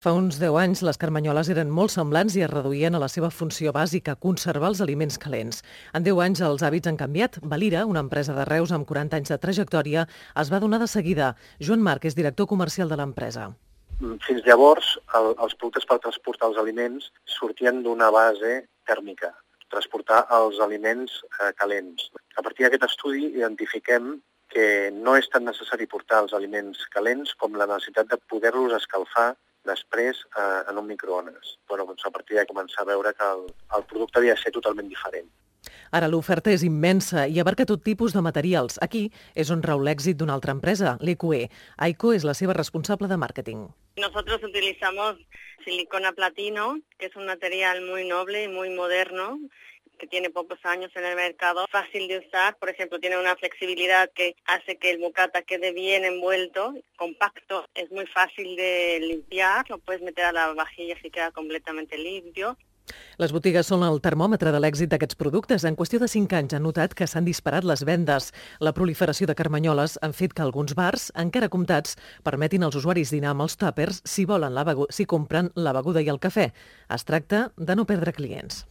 Fa uns 10 anys, les carmanyoles eren molt semblants i es reduïen a la seva funció bàsica, conservar els aliments calents. En 10 anys els hàbits han canviat. Valira, una empresa de Reus amb 40 anys de trajectòria, es va donar de seguida. Joan Marc és director comercial de l'empresa. Fins llavors, els productes per transportar els aliments sortien d'una base tèrmica, transportar els aliments calents. A partir d'aquest estudi identifiquem que no és tan necessari portar els aliments calents com la necessitat de poder-los escalfar després en un microones. Doncs a partir de començar a veure que el producte havia de ser totalment diferent. Ara l'oferta és immensa i abarca tot tipus de materials. Aquí és on rau l'èxit d'una altra empresa, l'EQE. Aiko és la seva responsable de màrqueting. Nosotros utilizamos silicona platino, que es un material muy noble y muy moderno, que tiene pocos años en el mercado, fácil de usar. Por ejemplo, tiene una flexibilidad que hace que el bocata quede bien envuelto, compacto, es muy fácil de limpiar, lo puedes meter a la vajilla y queda completamente limpio. Les botigues són el termòmetre de l'èxit d'aquests productes. En qüestió de 5 anys han notat que s'han disparat les vendes. La proliferació de carmanyoles han fet que alguns bars, encara comptats, permetin als usuaris dinar amb els tàpers si compren la beguda i el cafè. Es tracta de no perdre clients.